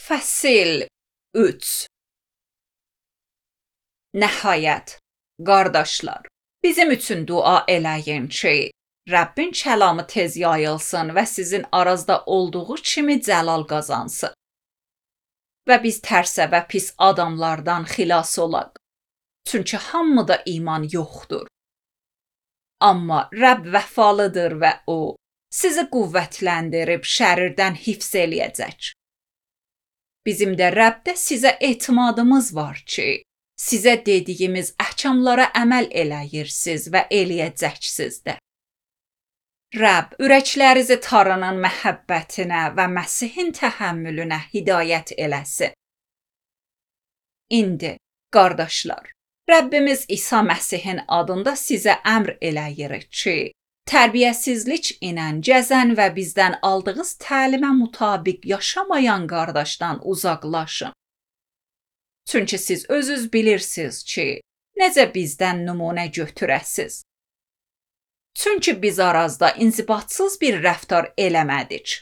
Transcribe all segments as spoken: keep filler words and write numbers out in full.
Fəsil üç. Nəhayət, qardaşlar, bizim üçün dua eləyin ki, Rəbbin kəlamı tez yayılsın və sizin arazda olduğu kimi cəlal qazansın. Və biz tərsə və pis adamlardan xilas olaq. Çünki hamıda iman yoxdur. Amma Rəbb vəfalıdır və O sizi qüvvətləndirib şərirdən hifz eləyəcək. Bizim də Rəbdə sizə etimadımız var ki, sizə dediyimiz əhkamlara əməl eləyirsiniz və eləyəcəksiniz də. Rəbb ürəklərinizi Tanrının məhəbbətinə və Məsihin təhəmmülünə hidayət eləsin. İndi, qardaşlar, Rəbbimiz İsa Məsihin adında sizə əmr eləyirik ki, tərbiyəsizlik ilə cəzən və bizdən aldığınız təlimə mütabiq yaşamayan qardaşdan uzaqlaşın. Çünki siz özünüz bilirsiniz ki, necə bizdən nümunə götürəsiz. Çünki biz arazda inzibatsız bir rəftar eləmədik.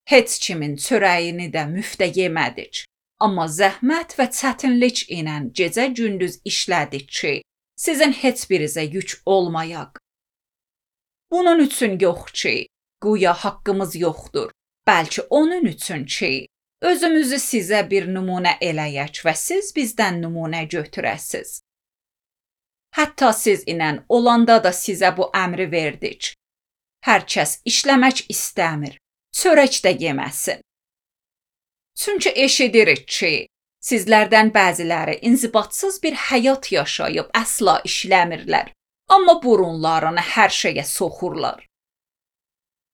Heç kimin çörəyini də müftə yemədik. Amma zəhmət və çətinlik ilə gecə-gündüz işlədik ki, sizin heç birinizə yük olmayaq. Bunun üçün yox ki, güya haqqımız yoxdur, bəlkə onun üçün ki, özümüzü sizə bir nümunə eləyək və siz bizdən nümunə götürəsiz. Hətta siz ilə olanda da sizə bu əmri verdik. Hər kəs işləmək istəmir, çörək də yeməsin. Çünki eşidirik ki, sizlərdən bəziləri inzibatsız bir həyat yaşayıb əsla işləmirlər, amma burunlarını hər şeyə soxurlar.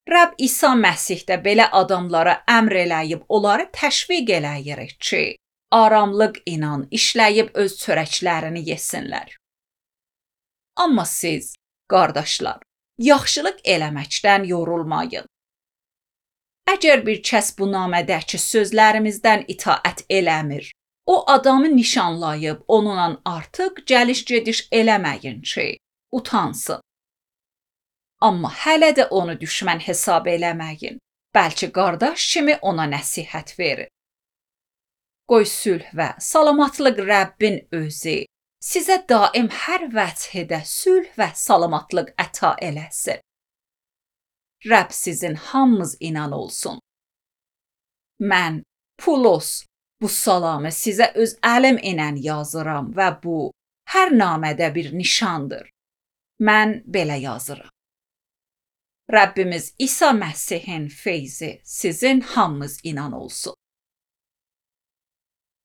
Rəbb İsa Məsihdə belə adamlara əmr eləyib onları təşviq eləyirik ki, aramlıq ilə işləyib öz çörəklərini yesinlər. Amma siz, qardaşlar, yaxşılıq eləməkdən yorulmayın. Əgər bir kəs bu namədəki sözlərimizdən itaət eləmir, o adamı nişanlayıb onunla artıq gəliş-gediş eləməyin ki, utansın. Amma hələ də onu düşmən hesab eləməyin, bəlkə qardaş kimi ona nəsihət verin. Qoy sülh və salamatlıq Rəbbin özü sizə daim hər vəchədə sülh və salamatlıq əta eləsin. Rəbb sizin hamınız inan olsun. Mən, Pulos, bu salamı sizə öz əlim ilə yazıram və bu, hər namədə bir nişandır. Mən belə yazıram. Rəbbimiz İsa Məsihin feyzi sizin hamınız inan olsun.